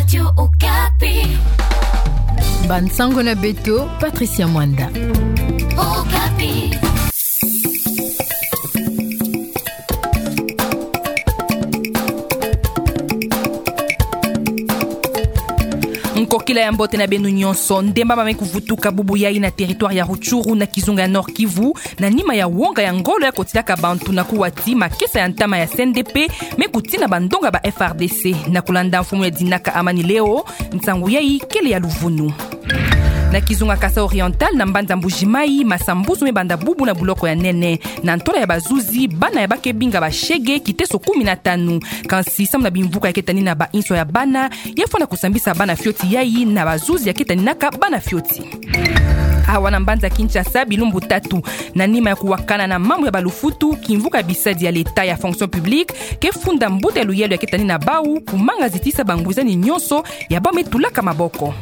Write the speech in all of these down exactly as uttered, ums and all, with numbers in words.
Radio Okapi. Bansango na beto, Patricia Mwanda. Okapi. Nkokila ya mbote na beno nyonso. Ndemba mamai kuvutuka bubu yai na territoire ya Rutshuru na kizunga ya Nord-Kivu, na nima ya wonga ya ngolo ya kotilaka bantu na kuwa ti makesa ya ntama ya C N D P me kutina bandonga ba F R D C. Na kulanda mfumu ya dinaka Amani Leo, nsangu yai kele ya luvunu. Na kizunga Kasaï Oriental, na mbanza Mbuji-Mayi, masambuzu me banda bubu na buloko ya nene. Na ntola ya bazuzi, bana ya bakebinga ba shege kiteso kumi na tanu. Kansi samu na bimvuka ya ketaninaka ba inso ya bana, ya fwana kusambisa bana fioti yai na bazuzi ya ketaninaka bana fioti. Awa na mbanza Kinshasa, bilumbu tatu na nima ya kuwakana na mambu ya balufutu, kimvuka ya bisadi ya leta ya fonction publique ke funda mbuta ya luyalu ya ketanina bau, kumanga zitisa bangwizani nyonso ya bau me tulaka maboko.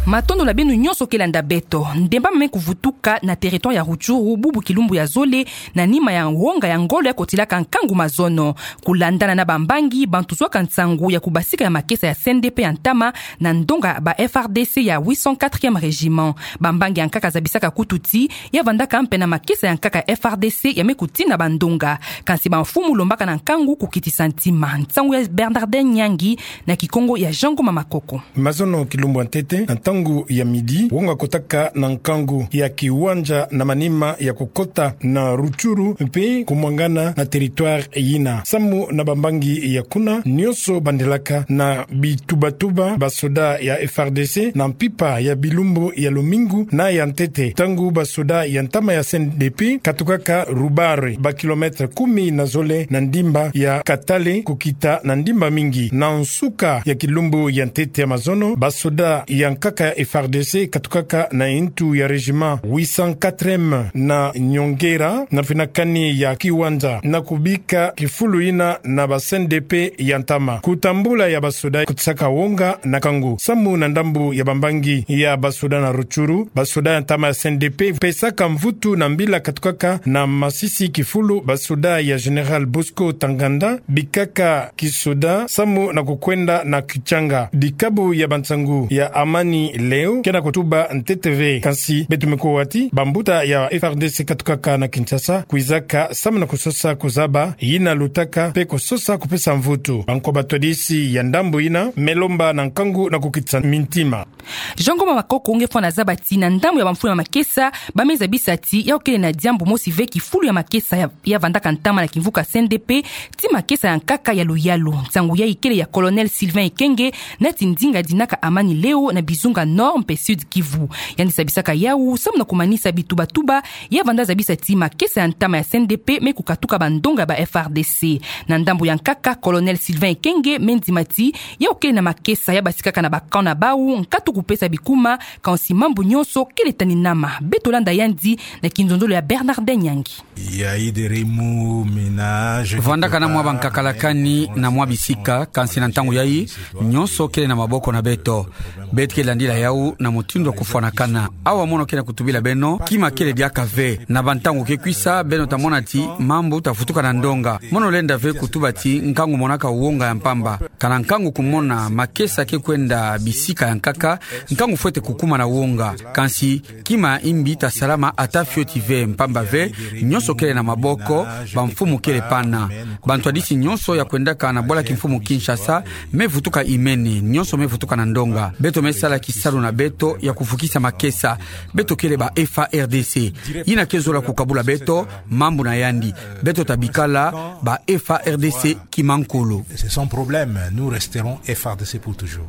Matondo na beno nyonso ke landa beto. Ndemba mamai kuvutuka na territoire ya Rutshuru bubu kilumbu ya zole, na nima ya wonga ya ngolo ya kotilaka nkangu mazono. Kulandana na bambangi, bantu zwaka nsangu ya kubasika ya makesa ya C N D P ya ntama na ndonga ba F R D C ya huit cent quatrième régiment. Bambangi ya nkaka zabisaka kutu ti ya vandaka mpe na makesa ya nkaka ya F R D C ya me kutina bandonga. Kansi bamfumu lombaka na nkangu kukitisa ntima. Nsangu ya Bernardin Nyangi na Kikongo ya Jean Ngoma Makoko. Mazono kilumbu ya ntete, na ntangu ya midi, wonga kotaka na nkangu ya kiwanja na manima ya kukota na Rutshuru mpe kumwangana na territoire yina. Samu na bambangi ya kuna, nyonso bandelaka na bitubatuba, basoda ya F R D C na mpimpa ya bilumbu ya lumingu na ya ntete, ntangu basoda ya ntama ya C N D P katukaka Rubare, ba kilomètre kumi na zole na ndimba ya Katale kukita na ndimba mingi. Na nsuka ya kilumbu ya ntete ya mazono, basoda ya nkaka ya F R D C katukaka na ntu ya régiment huit cent quatrième na nyongera na finakani ya kiwanja na kubika kifulu yina na ba C N D P ya ntama. Kutambula ya basoda kutisaka wonga na nkangu. Samu na ndambu ya bambangi ya basoda na Rutshuru, basoda ya ntama ya C N D P pesaka mvutu na mbila katukaka na masisi kifulu basoda ya Général Bosco Ntaganda, bikaka kisoda samu na kukwenda na kichanga. Dikabu ya bansangu ya Amani Leo ke na kutuba ntete ve. Kansi beto me kuwa ti bambuta ya F R D C katukaka na Kinshasa kwizaka samu na kusosa kuzaba yina lutaka mpe kusosa kupesa mvutu. Banko batwadisi ya ndambu yina me lomba na nkangu na kukitisa mintima. Jean Ngoma Makoko nge fwana zaba ti na ndambu ya bamfumu ya makesa, ba me zabisa ti ya kele na diambu mosi ve kifulu ya makesa ya, ya vandaka ntama na kimvuka C N D P ti makesa ya nkaka ya luyalu. Nsangu yai kele ya Colonel Sylvain Ekenge, nati ndinga dinaka Amani Leo na bizunga Nord mpe Sud Kivu. Yandi zabisaka yau samu na kumanisa bitubatuba ya vanda zabisa ti makesa ya ntama ya C N D P me kukatuka bandonga ba F R D C. Na ndambu ya nkaka, Colonel Sylvain Ekenge me ndima ti ya kele na makesa ya basikaka na ba camp na bau, nkatu kupesa bikuma, kansi mambu nyonso kele taninama. Beto landa yandi na kinzonzolo ya Bernardin Nyangi. Vandaka na mwa bankakalakani na mwa bisika, kansi na ntangu yai, nyonso kele na maboko na beto. Beto ke landila yau na mutindu ya kufwanakana. Awa mono ke na kutubila beno, kima kele diaka ve. Na bantangu ke kwisa, beno ta mona ti mambu ta vutuka na ndonga. Mono lenda ve kutuba ti nkangu monaka wonga ya mpamba. Kana nkangu kumona makesa ke kwenda bisika ya nkaka, nkangu fwete kukuma na wonga. Kansi kima imbi ta salama ata fioti ve, mpamba ve, nyonso kele na maboko, bamfumu kele pana. Bantwadisi nyonso ya kwendaka na bwala kimfumu Kinshasa me vutuka imene, nyonso me vutuka na ndonga. Beto me sala kisalu na beto ya kuvukisa makesa. Beto kele ba F A R D C. Yina ke zola kukabula beto mambu na yandi. Beto ta bikala ba F A R D C kimankulu. C'est son problème. Nous resterons F A R D C pour toujours.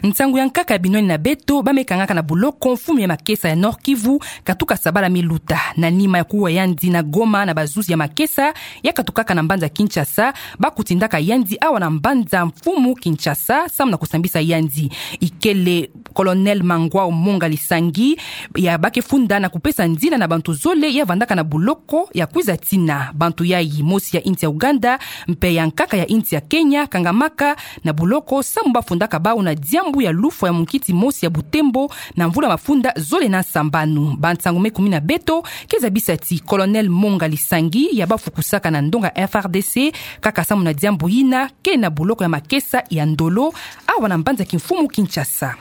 Nsangu ya nkaka ya binwani na beto, ba me kangaka na boloko mfumu ya makesa ya Nord-Kivu, katuka sabala me luta. Na nima ya kuwa yandi na Goma na bazuzi ya makesa ya katukaka na mbanza Kinshasa, ba kutindaka yandi awa na mbanza mfumu Kinshasa, samu na kusambisa yandi. Ikele Colonel Mangwao Monga Lisangi, ya ba ke funda na kupesa nzila na bantu zole ya vandaka na boloko ya kwiza tina. Bantu yai, mosi ya insi ya Ouganda, mpe ya nkaka ya insi ya Kenya, kangamaka na buloko samu bafundaka bau na diambu ya lufwa ya munkiti mosi ya butembo na mvula mafunda zole na nsambanu. Bansangu me kumi na beto ke zabisa ti Colonel Monga Lisangi ya bafukusaka na ndonga F R D C kaka samu na diambu yina ke na buloko ya makesa ya Ndolo awa na mbanza kimfumu Kinshasa.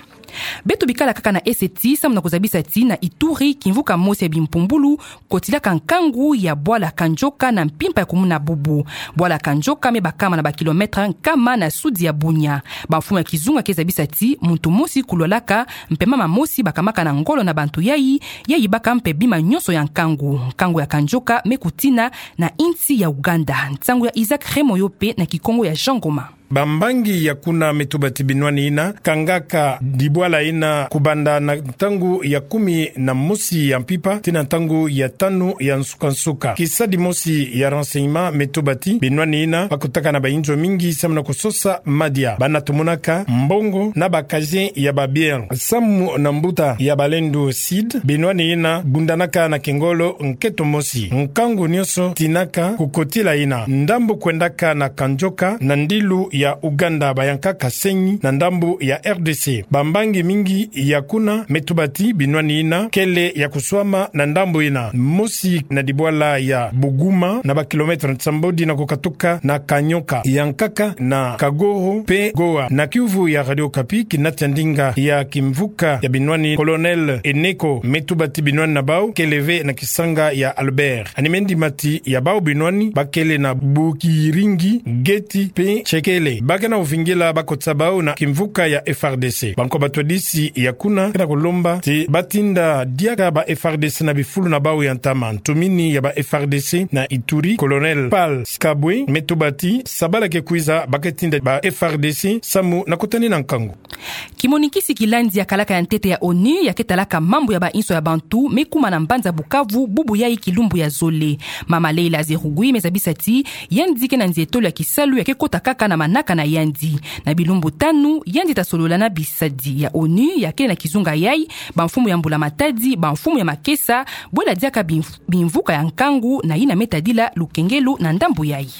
Beto bikala kaka na ese ti samu na kuzabisa ti na Ituri, kimvuka mosi ya bimpumbulu kotilaka nkangu ya bwala Kanjoka na mpimpa ya kumuna bubu. Bwala Kanjoka me bakama na ba kilomètre nkama na sudi ya Bunia. Bamfumu ya kizunga ke zabisa ti muntu mosi kulwalaka mpe mama mosi bakamaka na ngolo na bantu yayi, yayi baka mpe bima nyonso ya nkangu. Nkangu ya Kanjoka me kutina na insi ya Uganda. Nsangu ya Isaac Remoyo mpe na Kikongo ya Jean Ngoma. Bambangi ya kuna me tuba ti binwani yina kangaka dibwala yina kubanda na ntangu ya kumi na mosi ya mpimpa tii na ntangu ya tanu ya nsukansuka. Kisadi mosi ya renseignement me tuba ti binwani yina bakutaka na bayinzo mingi samu na kusosa madia. Bana tumunaka mbongo na ba casier ya ba biens. Samu na mbuta ya Balendu Sid, binwani yina bundanaka na kingolo nketo mosi. Nkangu nyonso tinaka kukotila yina. Ndambu kwendaka na Kanjoka na ndilu ya Uganda, bayanka Kasenyi na ndambu ya R D C. Bambangi mingi ya kuna me tuba ti binwani yina kele ya kuswama na ndambu yina. Mosi na dibwala ya Buguma na ba kilomètre nsambodi na kukatuka na Kanyoka, ya nkaka na Kagoro mpe Goa. Na kiuvu ya Radio Okapi, kinati ya ndinga ya kimvuka ya binwani, Colonel Eneko, me tuba ti binwani na bau kele ve na kisanga ya Albert. Ani me ndima ti ya bau binwani bakele na Bukiringi, Geti mpe Tshekele. Ba ke na uvingila bakotisa bau na kimvuka ya F R D C. Bankwa batwadisi ya kuna ke na kulomba ti batinda diaka ba F R D C na bifulu na bau ya ntama. Ntumini ya ba F R D C na Ituri, Colonel Pal Sikabwe, me tuba ti sabala ke kwiza ba ke tinda ba F R D C samu na kutani na nkangu. Kimonikisi kilandi ya kalaka ya ntete ya onu ya ke talaka mambu ya bainso ya bantu me kuma na mbanza Bukavu bubu yayi kilumbu ya zole. Mama Leila Zerugui me zabisa ti yandi ke na nzietolo ya kisalu ya ke kota kaka na manaka na yandi. Na bilumbu tanu, yandi ta solola na bisadi ya onu ya ke na kizunga yayi, bamfumu ya mbula matadi, bamfumu ya makesa, bwela diaka bimf-, bimvuka ya nkangu na yina me tadila lukengelo na ndambu yayi.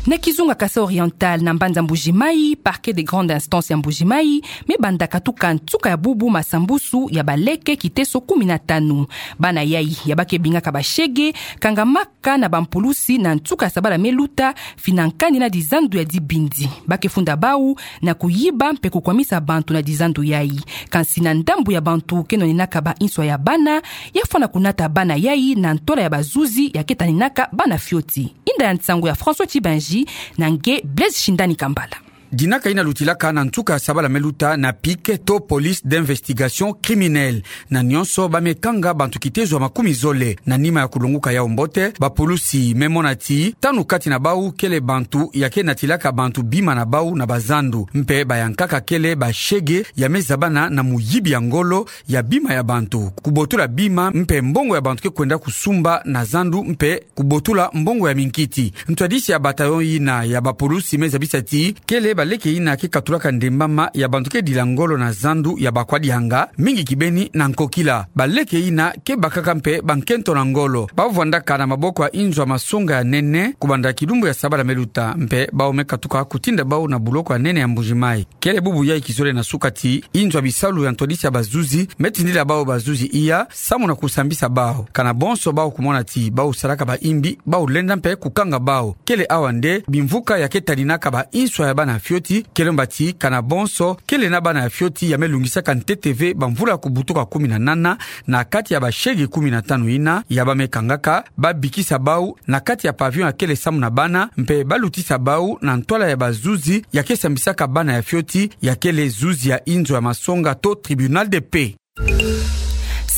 Na kizunga Kasaï Oriental, na mbanza Mbuji-Mayi, Parquet de grande instance ya Mbuji-Mayi me banda katuka nsuka ya bubu masambusu ya baleke kiteso kumi na tanu. Bana yayi ya ba ke bingaka bashege kangamaka na bampulusi na nsuka ya sabala me luta, fina nkandi na dizandu ya dibindi. Ba ke funda bau na kuyiba mpe kukwamisa bantu na dizandu yayi. Kansi na ndambu ya bantu ke nwanenaka bainso ya bana, ya fwana kunata bana yayi na ntwala ya bazuzi ya ke taninaka bana fioti. Inda ya nsangu ya François Tchibanji na nge Blaise Shindani Kambala. Dinaka yina lutilaka na nsuka ya sabala me luta na PIC to Police d'Investigation Criminelle. Na nyonso ba me kanga bantu kitezo ya makumi zole. Na nima ya kulonguka yau mbote, bapulusi me mona ti tanu kati na bau kele bantu ya ke natilaka bantu bima na bau na bazandu, mpe bayankaka kele bashege ya me zabana na muyibi ya ngolo ya bima ya bantu, kubotula bima mpe mbongo ya bantu ke kwenda kusumba na zandu mpe kubotula mbongo ya minkiti. Ntwadisi ya bataillon yina ya bapulusi me zabisa ti kele baleke yina ke katulaka ndembama ya bantu ke dila ngolo na zandu ya bakwadianga, mingi kibeni na nkokila. Baleke yina ke bakaka mpe bankento na ngolo. Ba vwandaka na maboko ya inzo ya masonga ya nene kubanda kilumbu ya sabala me luta, mpe bau me katuka kutinda bau na buloko ya nene ya Mbuji-Mayi. Kele bubu yayi kizole na suka ti inzo ya bisalu ya ntwadisi ya bazuzi me tindila bau bazuzi iya samu na kusambisa bau. Kana bonso bau kumona ti bau salaka baimbi, bau lenda mpe kukanga bau. Kele awa nde bimvuka ya ke taninaka bainso ya bana fioti, kele mba ti kana bonso kele na bana ya fioti ya me lungisaka ntete ve bamvula kubutuka kumi na nana na kati ya bashege kumi na tanu yina ya ba me kangaka, ba bikisa bau na kati ya pavillon ya kele samu na bana, mpe ba lutisa bau na ntwala ya bazuzi ya ke sambisaka bana ya fioti, ya kele zuzi ya inzo ya masonga to tribunal de paix.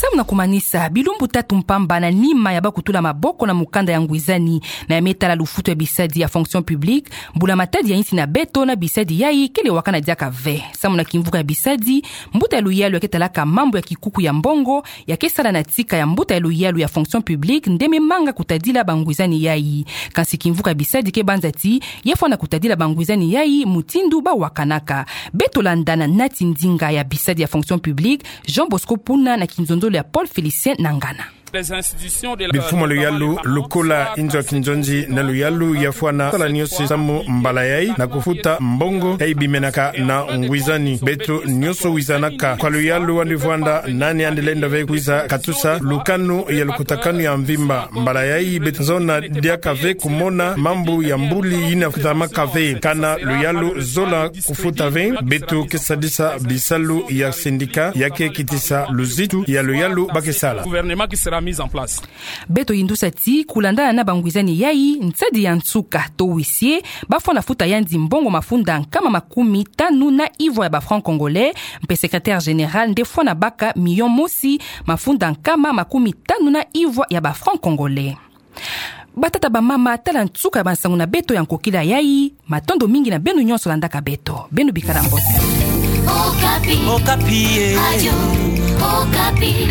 Samu na kumanisa, bilumbu tatu mpamba na nima ya ba kutula maboko na mukanda ya ngwizani na ya me tala lufutu ya bisadi ya fonction publique, mbula matadi ya insi na beto na bisadi yayi kele wakana diaka ve. Samu na kimvuka ya bisadi, mbuta ya luyalu ya ke talaka mambu ya kikuku ya mbongo, ya ke sala na tika ya mbuta ya luyalu ya fonction publique nde me manga kutadila bangwizani yayi. Kansi kimvuka ya bisadi ke banza ti ya fwana kutadila bangwizani yayi mutindu ba wakanaka. Beto landa na nati ndinga ya bisadi ya fonction publique, Jean Bosco Puna na kinzonzolo ya Paul Félicien Nangana. Bifuma luyalu, lukola inzo ya kinzonzi na luyalu ya fwana sala niosi samu mbala yayi na kufuta mbongo yayi bimenaka na ngwizani. Beto nioso wizanaka kwa luyalu, andi vwanda nani andi lenda ve kwiza katusa lukanu ya lukutakanu ya mvimba. Mbala yayi beto zona diaka ve kumona mambu ya mbuli yina kutamaka ve. Kana luyalu zola kufuta ve, beto ke sadisa bisalu ya sindika ya ke kitisa luzitu ya luyalu ba ke sala. Beto yindusa ti, kulandana na bangwizani yayi, nsadi ya nsuka to huissier, ba fwana futa yandi mbongo mafunda nkama makumi tanu na ivwa ya ba francs congolais, mpe secrétaire général nde fwana baka miyo mosi mafunda nkama makumi tanu na ivwa ya ba francs congolais. Batata, bamama, tala nsuka ya bansangu na beto ya nkokila yayi. Matondo mingi na beno nionso landaka beto. Beno bikala mbote. Okapi. Okapi, eh. Radio Okapi.